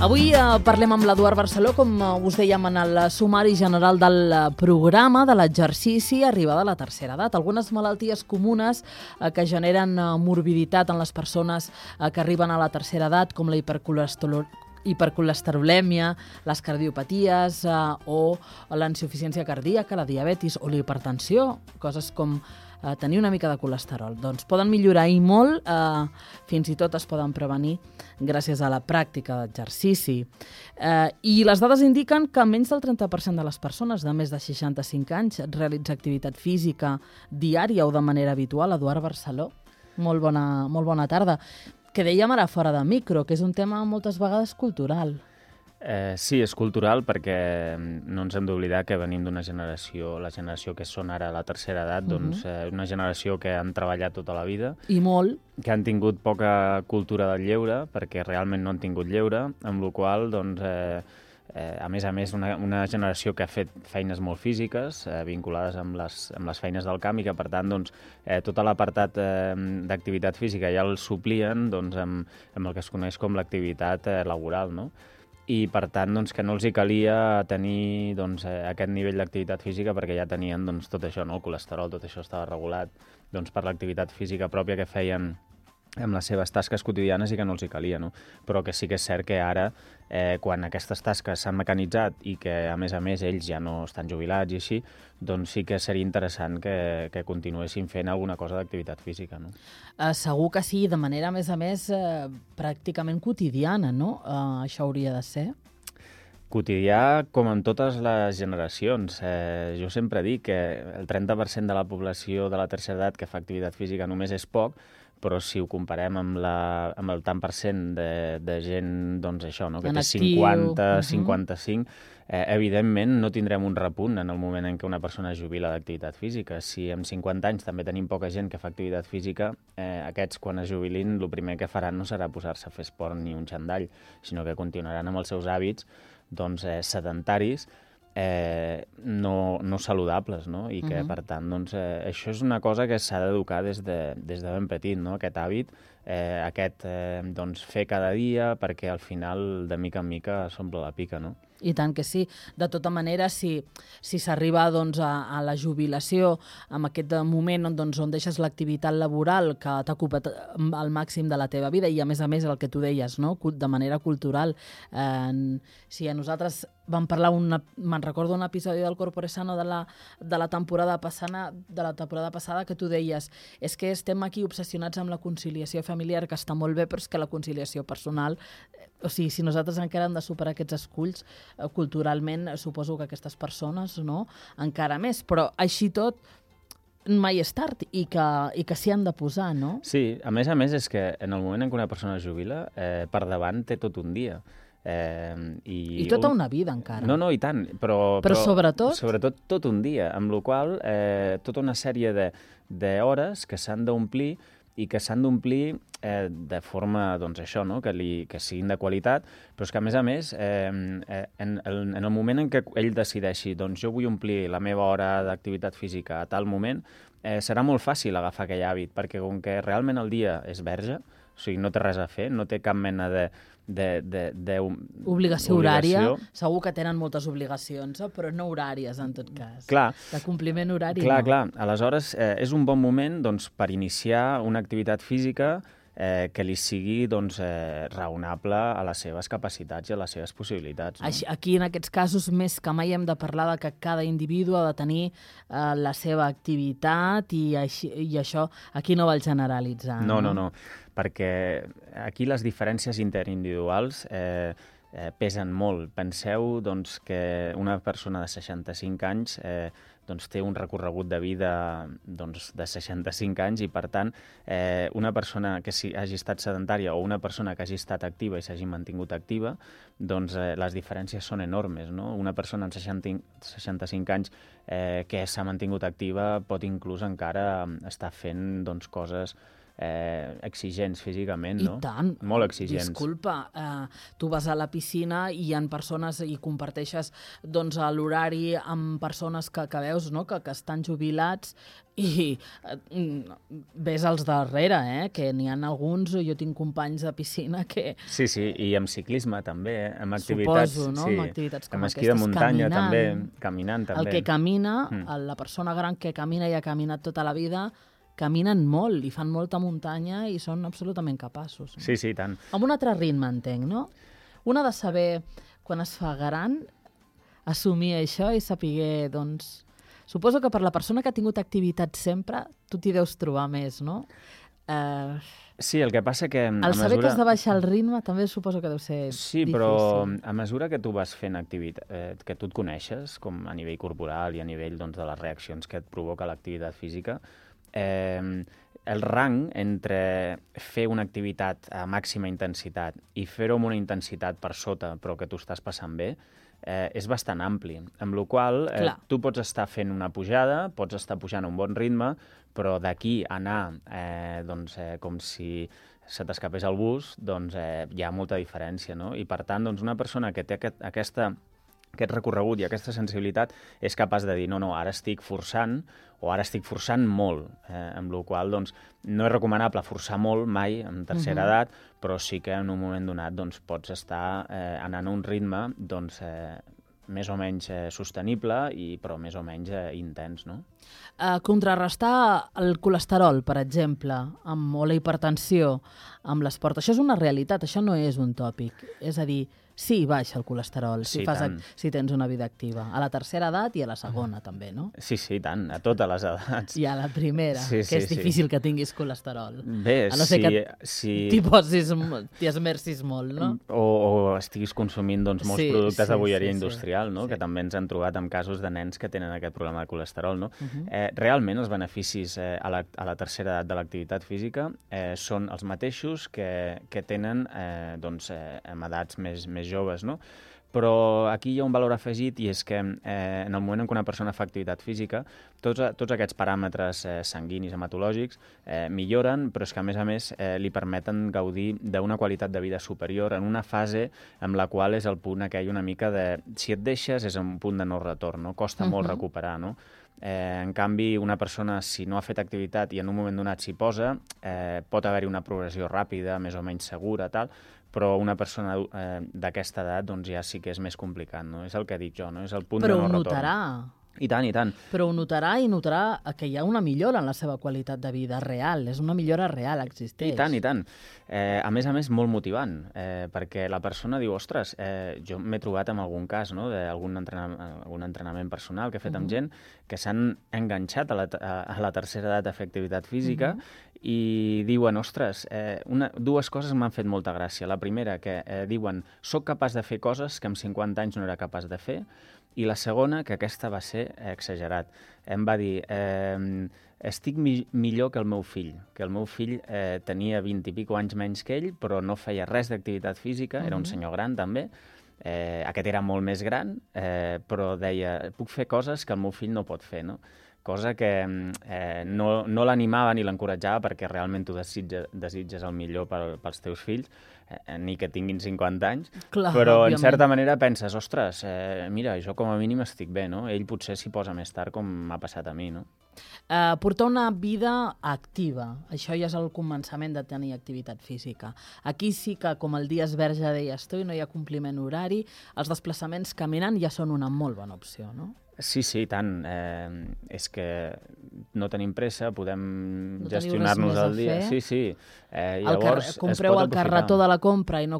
Avui parlem amb l'Eduard Barceló, com us dèiem en el sumari general del programa de l'exercici arribada a la tercera edat. Algunes malalties comunes que generen morbiditat en les persones que arriben a la tercera edat, com la hipercolesterolèmia, les cardiopaties o l'insuficiència cardíaca, la diabetis o la hipertensió, coses com tenir una mica de colesterol. Doncs poden millorar i molt, fins i tot es poden prevenir gràcies a la pràctica d'exercici. I les dades indiquen que menys del 30% de les persones de més de 65 anys realitza activitat física diària o de manera habitual. Eduard Barceló, molt bona tarda. Que dèiem ara fora de micro, que és un tema moltes vegades cultural. Sí, és cultural perquè no ens hem d'oblidar que venim d'una generació, la generació que són ara a la tercera edat, doncs una generació que han treballat tota la vida. I molt. Que han tingut poca cultura del lleure, perquè realment no han tingut lleure, amb la qual cosa, doncs, a més, una generació que ha fet feines molt físiques, vinculades amb les feines del camp, i que, per tant, doncs, tot l'apartat d'activitat física ja el suplien doncs, amb el que es coneix com l'activitat laboral, no? I, per tant, doncs, que no els hi calia tenir doncs, aquest nivell d'activitat física perquè ja tenien doncs, tot això, no? El colesterol, tot això estava regulat doncs, per l'activitat física pròpia que feien amb les seves tasques quotidianes i que no els hi calia, no? Però que sí que és cert que ara, quan aquestes tasques s'han mecanitzat i que, a més, ells ja no estan jubilats i així, doncs sí que seria interessant que continuessin fent alguna cosa d'activitat física, no? Segur que sí, de manera, a més, pràcticament quotidiana, no? Això hauria de ser. Quotidià, com en totes les generacions. Jo sempre dic que el 30% de la població de la tercera edat que fa activitat física només és poc, però si ho comparem amb el tant per cent de gent, doncs això, no? Que té 50, 55, evidentment no tindrem un repunt en el moment en què una persona es jubila d'activitat física. Si amb 50 anys també tenim poca gent que fa activitat física, aquests quan es jubilin el primer que faran no serà posar-se a fer esport ni un xandall, sinó que continuaran amb els seus hàbits doncs, sedentaris, no saludables, no? I que, per tant, doncs, això és una cosa que s'ha d'educar des de ben petit, no? Aquest hàbit, doncs, fer cada dia, perquè al final, de mica en mica, s'omple la pica, no? I tant que sí. De tota manera, si s'arriba doncs, a la jubilació, en aquest moment doncs, on deixes l'activitat laboral que t'ha ocupat al màxim de la teva vida, i a més el que tu deies, no? De manera cultural, si a nosaltres vam parlar, me'n recordo un episodi del Corpore Sano de la temporada passada que tu deies, és que estem aquí obsessionats amb la conciliació familiar, que està molt bé, però és que la conciliació personal, o sigui, si nosaltres encara hem de superar aquests esculls, culturalment suposo que aquestes persones, no? Encara més, però així tot mai és tard i que s'hi han de posar, no? Sí, a més és que en el moment en què una persona es jubila, per davant té tot un dia. I tota una vida encara. No, i tant, però sobretot? Sobretot tot un dia, amb la qual cosa tota una sèrie d'hores que s'han d'omplir i que s'han d'omplir de forma, doncs això, no? Que siguin de qualitat, però és que a més, en el moment en què ell decideixi, doncs jo vull omplir la meva hora d'activitat física a tal moment, serà molt fàcil agafar aquell hàbit, perquè com que realment el dia és verge, o sigui, no té res a fer, no té cap mena obligació horària. Segur que tenen moltes obligacions, però no horàries, en tot cas. Clar. De compliment horari. Clar. Aleshores, és un bon moment doncs, per iniciar una activitat física que li sigui doncs, raonable a les seves capacitats i a les seves possibilitats. No? Aquí, en aquests casos, més que mai hem de parlar de que cada individu ha de tenir la seva activitat i això aquí no val generalitzar. No, perquè aquí les diferències interindividuals pesen molt. Penseu doncs, que una persona de 65 anys doncs, té un recorregut de vida doncs, de 65 anys i, per tant, una persona que hagi estat sedentària o una persona que hagi estat activa i s'hagi mantingut activa, doncs les diferències són enormes, no? Una persona amb 65 anys que s'ha mantingut activa pot inclús encara estar fent doncs, coses exigents físicament, no? I tant. Molt exigents. Disculpa, tu vas a la piscina i hi ha persones i comparteixes doncs, l'horari amb persones que veus, no? que estan jubilats i ves als darrere, que n'hi ha alguns, jo tinc companys de piscina que... Sí, i amb ciclisme també, amb activitats... Suposo, no? Sí, amb activitats com amb esquí de muntanya caminant també. El que camina, la persona gran que camina i ha caminat tota la vida, caminen molt i fan molta muntanya i són absolutament capaços. No? Sí, tant. Amb un altre ritme, entenc, no? Un ha de saber, quan es fa gran, assumir això i saber, doncs... Suposo que per la persona que ha tingut activitat sempre, tu t'hi deus trobar més, no? Sí, el que passa que... El saber que has de baixar el ritme també suposo que deu ser sí, difícil. Però a mesura que tu vas fent activitat, que tu et coneixes, com a nivell corporal i a nivell doncs, de les reaccions que et provoca l'activitat física, el rang entre fer una activitat a màxima intensitat i fer-ho amb una intensitat per sota, però que tu estàs passant bé, és bastant ampli, amb la qual tu pots estar fent una pujada, pots estar pujant a un bon ritme, però d'aquí anar com si se t'escapés el bus, doncs hi ha molta diferència, no? I per tant, doncs, una persona que té aquest recorregut i aquesta sensibilitat és capaç de dir no, ara estic forçant o ara estic forçant molt, amb la qual doncs, no és recomanable forçar molt mai en tercera edat, però sí que en un moment donat doncs, pots estar anant a un ritme doncs, més o menys sostenible, però més o menys intens, no? Contrarrestar el colesterol, per exemple, o la hipertensió amb l'esport, això és una realitat, això no és un tòpic. És a dir, sí, baixa el colesterol si tens una vida activa. A la tercera edat i a la segona, també, no? Sí, tant, a totes les edats. I a la primera, que és difícil que tinguis colesterol. Bé, a no ser que t'hi esmercis molt, no? O estiguis consumint doncs, molts productes de bolleria industrial, no? Que també ens han trobat amb casos de nens que tenen aquest problema de colesterol, no? Realment els beneficis a la tercera edat de l'activitat física són els mateixos que tenen amb edats més joves, no? Però aquí hi ha un valor afegit i és que en el moment en què una persona fa activitat física, tots aquests paràmetres sanguinis, hematològics, milloren, però és que a més li permeten gaudir d'una qualitat de vida superior en una fase en la qual és el punt aquell una mica de... Si et deixes és un punt de no retorn, no? Costa molt recuperar, no? En canvi, una persona, si no ha fet activitat i en un moment donat s'hi posa, pot haver-hi una progressió ràpida, més o menys segura, tal, però una persona d'aquesta edat doncs, ja sí que és més complicat, no? És el que dic jo, no? És el punt de no retorn. Però ho notarà. I tant. Però ho notarà i notarà que hi ha una millora en la seva qualitat de vida real. És una millora real, existeix. I tant. A més, molt motivant, perquè la persona diu, ostres, jo m'he trobat en algun cas, no?, d'algun entrenament personal que he fet amb gent que s'han enganxat a la tercera edat a fer activitat física i diuen, ostres, dues coses m'han fet molta gràcia. La primera, que diuen, soc capaç de fer coses que amb 50 anys no era capaç de fer, i la segona, que aquesta va ser exagerat. Em va dir, estic millor que el meu fill, tenia 20 i pico anys menys que ell, però no feia res d'activitat física, era un senyor gran també, aquest era molt més gran, però deia, puc fer coses que el meu fill no pot fer, no? Cosa que no l'animava ni l'encoratjava perquè realment tu desitges el millor pels teus fills, ni que tinguin 50 anys, clar, però òbviament. En certa manera penses, ostres, mira, jo com a mínim estic bé, no? Ell potser s'hi posa més tard com m'ha passat a mi, no? Portar una vida activa, això ja és el començament de tenir activitat física. Aquí sí que, com el Dies Verge deies tu, i no hi ha compliment horari, els desplaçaments caminant ja són una molt bona opció, no? Sí, tant. És que no tenim pressa, podem gestionar-nos el dia. Sí. Llavors, compreu el carretó de la compra i no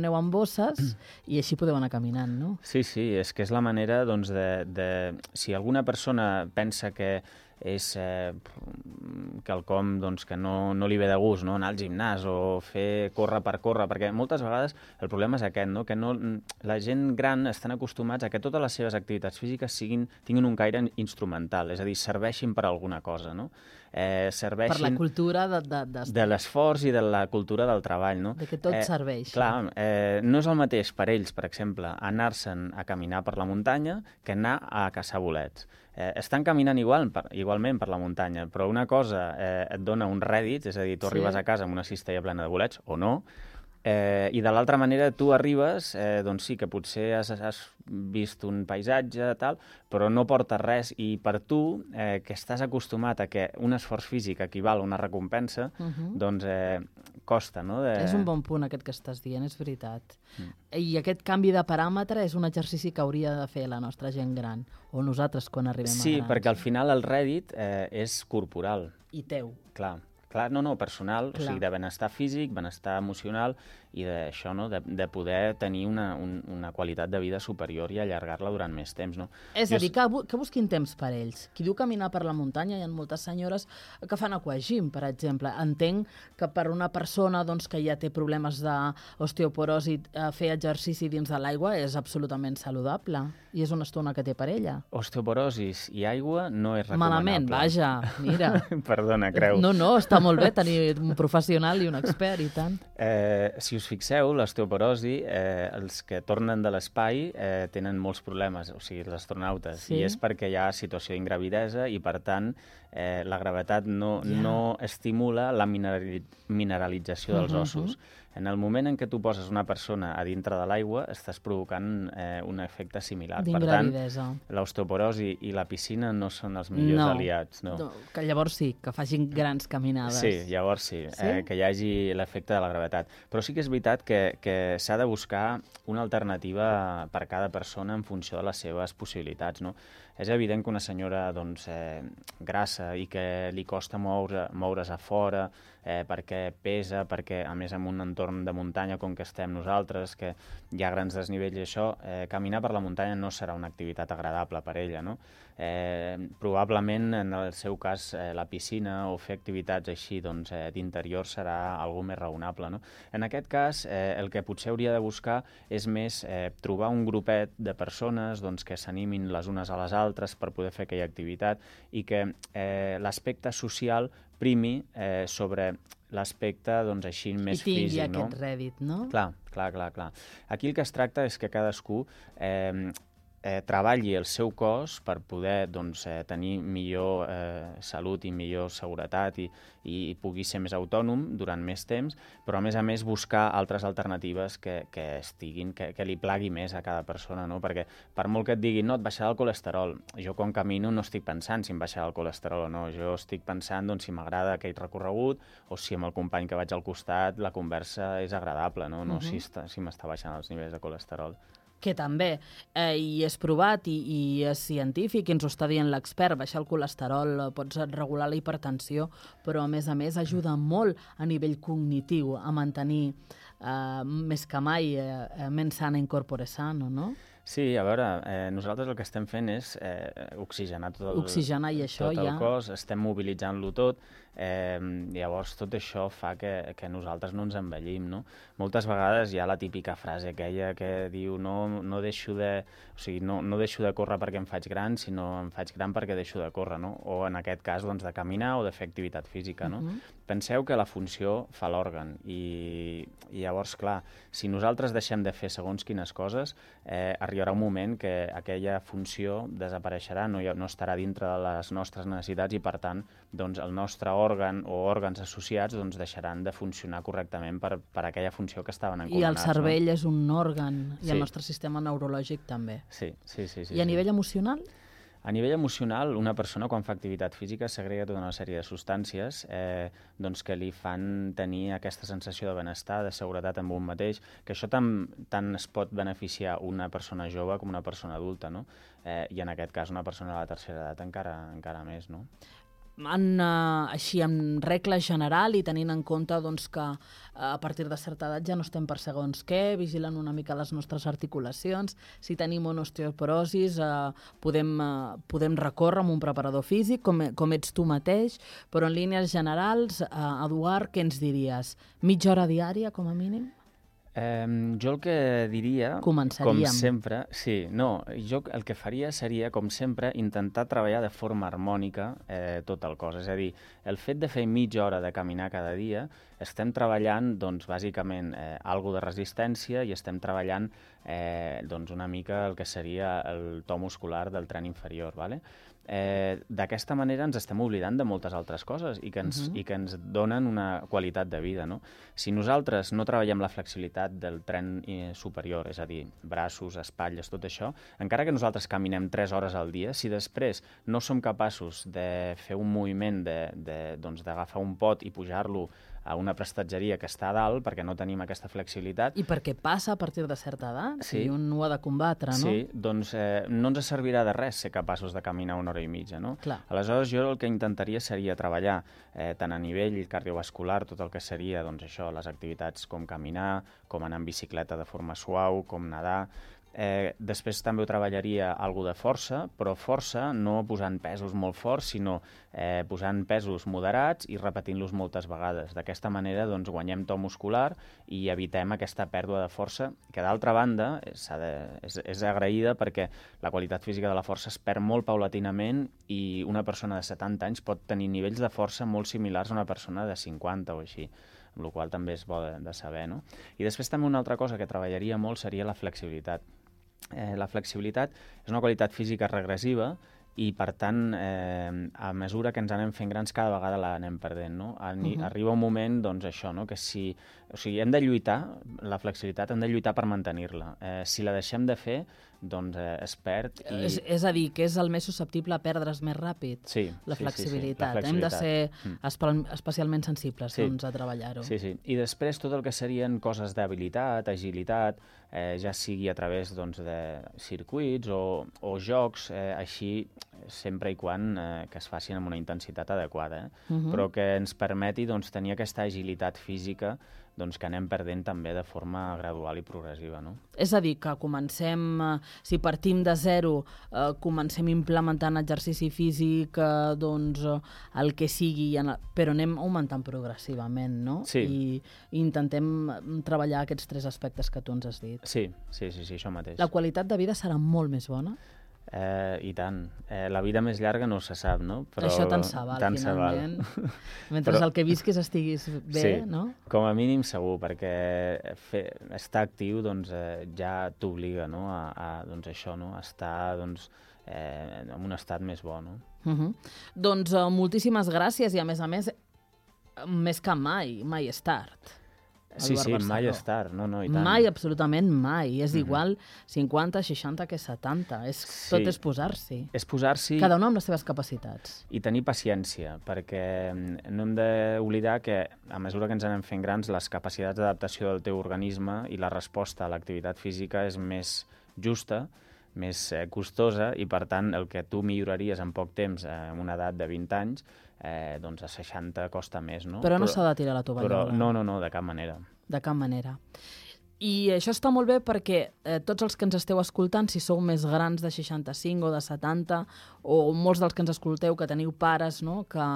aneu amb bosses i així podeu anar caminant, no? Sí, és que és la manera, doncs, si alguna persona pensa que és quelcom doncs, que no li ve de gust, no? Anar al gimnàs o fer córrer per córrer, perquè moltes vegades el problema és aquest, no? Que la gent gran estan acostumats a que totes les seves activitats físiques tinguin un caire instrumental, és a dir, serveixin per alguna cosa, no? serveixin... Per la cultura de l'esforç i de la cultura del treball, no? De que tot serveix. Clar, no és el mateix per ells, per exemple, anar-se'n a caminar per la muntanya que anar a caçar bolets. Estan caminant igualment per la muntanya, però una cosa et dona un rèdit, és a dir, tu arribes a casa amb una cistella plena de bolets, o no, i de l'altra manera tu arribes, doncs sí, que potser has vist un paisatge, tal, però no portes res, i per tu, que estàs acostumat a que un esforç físic equival a una recompensa, doncs costa, no? És un bon punt aquest que estàs dient, és veritat. I aquest canvi de paràmetre és un exercici que hauria de fer la nostra gent gran, o nosaltres quan arribem a grans. Sí, perquè al final el rèdit és corporal. I teu. Clar, personal, o sigui, de benestar físic, benestar emocional i d'això, no? De poder tenir una qualitat de vida superior i allargar-la durant més temps, no? És a dir, que busquin temps per ells. Qui diu caminar per la muntanya, hi ha moltes senyores que fan aquagym, per exemple. Entenc que per una persona que ja té problemes d'osteoporosi, fer exercici dins de l'aigua és absolutament saludable i és una estona que té per ella. Osteoporosis i aigua no és recomanable. Malament, vaja, mira. Perdona, creu. No, està molt bé tenir un professional i un expert, i tant. Si us fixeu, l'osteoporosi, els que tornen de l'espai tenen molts problemes, o sigui, els astronautes, i és perquè hi ha situació d'ingravidesa i, per tant, la gravetat no estimula la mineralització dels ossos. En el moment en què tu poses una persona a dintre de l'aigua, estàs provocant un efecte similar. Per tant, l'osteoporosi i la piscina no són els millors aliats. No, que llavors sí, que facin grans caminades. Sí, llavors sí, que hi hagi l'efecte de la gravetat. Però sí que és veritat que s'ha de buscar una alternativa per cada persona en funció de les seves possibilitats, no? És evident que una senyora grassa i que li costa moure's a fora perquè pesa, perquè a més en un entorn de muntanya com que estem nosaltres, que hi ha grans desnivells i això, caminar per la muntanya no serà una activitat agradable per ella, no? Probablement en el seu cas la piscina o fer activitats així d'interior serà algo més raonable, no? En aquest cas el que potser hauria de buscar és més trobar un grupet de persones que s'animin les unes a les altres per poder fer aquella activitat i que l'aspecte social primi sobre l'aspecte així més físic, no? I tingui aquest rèdit, no? Clar. Aquí el que es tracta és que cadascú treballi el seu cos per poder tenir millor salut i millor seguretat i pugui ser més autònom durant més temps, però a més buscar altres alternatives que li plagui més a cada persona, no? Perquè per molt que et diguin no, et baixarà el colesterol, jo quan camino no estic pensant si em baixarà el colesterol o no, jo estic pensant si m'agrada aquell recorregut o si amb el company que vaig al costat la conversa és agradable, no? No si m'està baixant els nivells de colesterol. Que també, i és provat i és científic, i ens ho està dient l'expert, baixar el colesterol, pots regular la hipertensió, però a més ajuda molt a nivell cognitiu a mantenir més que mai mens sana in corpore sano, no? Sí, a veure, nosaltres el que estem fent és oxigenar tot el cos, estem mobilitzant-lo tot, llavors tot això fa que nosaltres no ens envellim, no? Moltes vegades hi ha la típica frase aquella que diu no deixo de córrer perquè em faig gran, sinó em faig gran perquè deixo de córrer, no? O en aquest cas de caminar o de fer activitat física, no? Penseu que la funció fa l'òrgan i llavors, clar, si nosaltres deixem de fer segons quines coses, arribarà un moment que aquella funció desapareixerà, no estarà dintre de les nostres necessitats i, per tant, el nostre òrgan o òrgans associats deixaran de funcionar correctament per aquella funció que estaven encomanats. I el cervell és un òrgan, i el nostre sistema neurològic també. Sí. I a nivell emocional? A nivell emocional, una persona quan fa activitat física segrega tota una sèrie de substàncies que li fan tenir aquesta sensació de benestar, de seguretat amb un mateix, que això tant es pot beneficiar una persona jove com una persona adulta, no? I en aquest cas una persona de la tercera edat encara més, no? Així, en regla general i tenint en compte que a partir de certa edat ja no estem per segons què, vigilant una mica les nostres articulacions, si tenim una osteoporosis podem recórrer amb un preparador físic, com ets tu mateix, però en línies generals, Eduard, què ens diries? Mitja hora diària, com a mínim? Jo el que diria, Començaríem. com sempre... Sí, no, jo el que faria seria, com sempre, intentar treballar de forma harmònica tot el cos. És a dir, el fet de fer mitja hora de caminar cada dia, estem treballant, doncs, bàsicament, algo de resistència i estem treballant, doncs, una mica el que seria el to muscular del tren inferior, ¿vale? D'aquesta manera ens estem oblidant de moltes altres coses i que ens donen una qualitat de vida, no? Si nosaltres no treballem la flexibilitat del tren superior, és a dir, braços, espatlles, tot això, encara que nosaltres caminem 3 hores al dia, si després no som capaços de fer un moviment doncs, d'agafar un pot i pujar-lo a una prestatgeria que està a dalt perquè no tenim aquesta flexibilitat... I perquè passa a partir de certa edat sí. I un ho ha de combatre, no? Sí, doncs no ens servirà de res ser capaços de caminar 1 hora i mitja, no? Clar. Aleshores, jo el que intentaria seria treballar tant a nivell cardiovascular, tot el que seria, doncs això, les activitats com caminar, com anar en bicicleta de forma suau, com nedar... Després també ho treballaria algo de força, però força no posant pesos molt forts, sinó posant pesos moderats i repetint-los moltes vegades. D'aquesta manera doncs, guanyem to muscular i evitem aquesta pèrdua de força, que d'altra banda és agraïda perquè la qualitat física de la força es perd molt paulatinament i una persona de 70 anys pot tenir nivells de força molt similars a una persona de 50 o així, amb la qual també és bo de saber, no? I després també una altra cosa que treballaria molt seria la flexibilitat. La flexibilitat és una qualitat física regressiva i, per tant, a mesura que ens anem fent grans, cada vegada l'anem perdent, no? Arriba un moment, doncs, això, no? Que si... O sigui, hem de lluitar, la flexibilitat, hem de lluitar per mantenir-la. Si la deixem de fer, doncs es perd i... És a dir, que és el més susceptible a perdre's més ràpid, sí, la flexibilitat. Sí, Hem de ser especialment sensibles doncs, a treballar-ho. Sí, sí. I després tot el que serien coses d'habilitat, agilitat, ja sigui a través doncs, de circuits o jocs, així sempre i quan que es facin amb una intensitat adequada, però que ens permeti doncs, tenir aquesta agilitat física doncs, que anem perdent també de forma gradual i progressiva, no? És a dir, que comencem, si partim de zero, comencem implementant exercici físic, doncs el que sigui, però anem augmentant progressivament, no? Sí. I intentem treballar aquests 3 aspectes que tu ens has dit. Sí, això mateix. La qualitat de vida serà molt més bona? I tant. La vida més llarga no se sap, no? Però això tant se val, finalment. Mentre el que visquis estiguis bé, sí, no? Com a mínim segur, perquè estar actiu doncs, ja t'obliga, no? Doncs això, no? A estar doncs, en un estat més bo, no? Doncs moltíssimes gràcies i, a més, més que mai és tard. Sí, mai és tard, no, i tant. Mai, absolutament mai. És igual 50, 60 que 70. Tot és posar-s'hi. És posar-s'hi... Cada un amb les seves capacitats. I tenir paciència, perquè no hem d'oblidar que a mesura que ens anem fent grans, les capacitats d'adaptació del teu organisme i la resposta a l'activitat física és més justa, més costosa, i per tant el que tu milloraries en poc temps en una edat de 20 anys, doncs a 60 costa més, no? Però no s'ha de tirar la tovallola. No, de cap manera. De cap manera. I això està molt bé perquè tots els que ens esteu escoltant, si sou més grans de 65 o de 70, o molts dels que ens escolteu que teniu pares, no? Que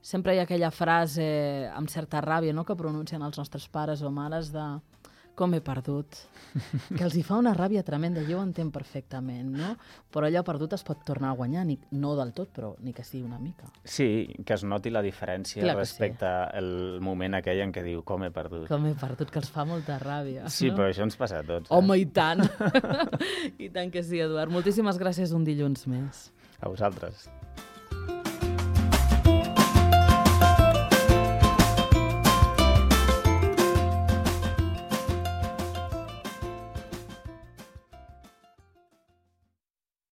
sempre hi ha aquella frase amb certa ràbia, no? Que pronuncien els nostres pares o mares de com he perdut, que els hi fa una ràbia tremenda, jo ho entenc perfectament, no? Però allò perdut es pot tornar a guanyar, no del tot, però ni que sigui una mica. Sí, que es noti la diferència respecte al moment aquell en què diu com he perdut. Com he perdut, que els fa molta ràbia. Sí, no? Però això ens passa a tots. Home, i tant! I tant que sí, Eduard. Moltíssimes gràcies un dilluns més. A vosaltres.